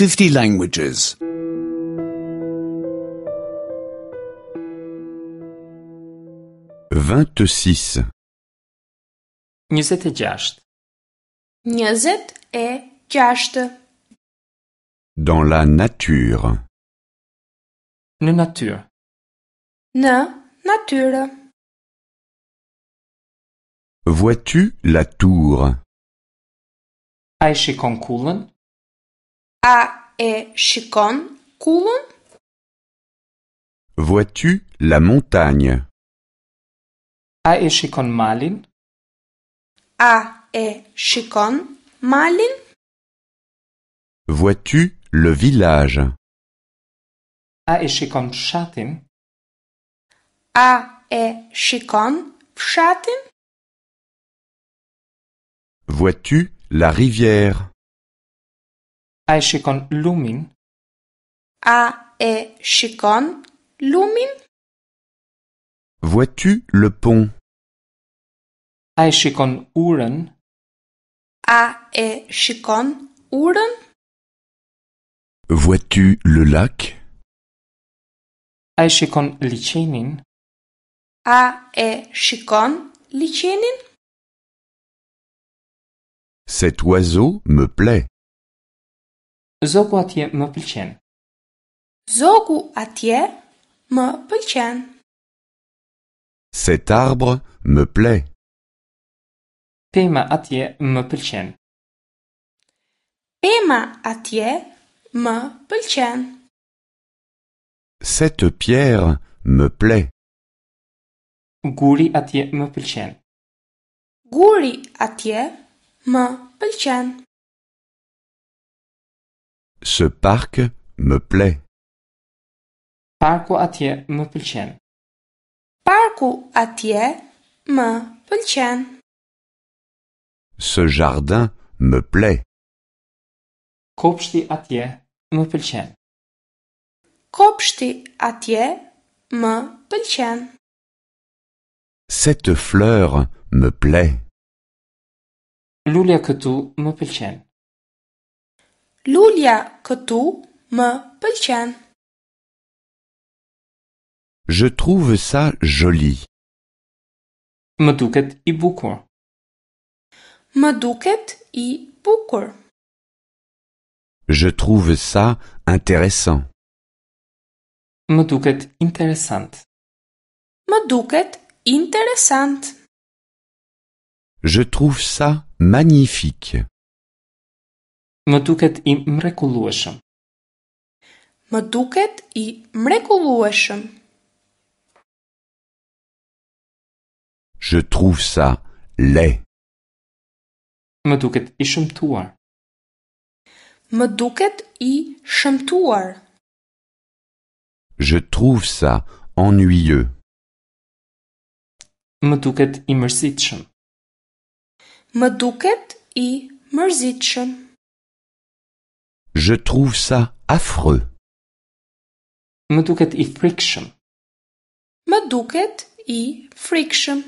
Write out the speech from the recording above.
50 languages. 26. 26. 26. Dans la nature. Në natyrë. Në natyrë. Vois-tu la tour? A e shikon kullën? A e shikon kullën? Vois-tu la montagne? A e shikon malin? A e shikon malin? Vois-tu le village? A e shikon fshatin? A e shikon fshatin? Vois-tu la rivière? A e shikon lumin? A e shikon lumin? Vois-tu le pont? A e shikon urën? A e shikon urën? Vois-tu le lac? A e shikon liqenin? A e shikon liqenin? Cet oiseau me plaît. Zogu atje më pëlqen. Zogu atje më pëlqen. Cet arbre me plaît. Pema atje më pëlqen. Pema atje më pëlqen. Cette pierre me plaît. Guri atje më pëlqen. Guri atje më pëlqen. Ce parc me plaît. Parku atje më pëlqen. Parku atje më pëlqen. Ce jardin me plaît. Kopshti atje më pëlqen. Kopshti atje më pëlqen. Cette fleur me plaît. Lulja këtu më pëlqen. Lulja këtu më pëlqen. Je trouve ça joli. Më duket i bukur. Më duket i bukur. Je trouve ça intéressant. Më duket interesant. Më duket interesant. Je trouve ça magnifique. Më duket i mrekullueshëm. Më duket i mrekullueshëm. Je trouve ça laid. Më duket i shëmtuar. Më duket i shëmtuar. Je trouve ça ennuyeux. Më duket i mërzitshëm. Më duket i mërzitshëm. Je trouve ça affreux. Më duket i frikshëm. Më duket i frikshëm.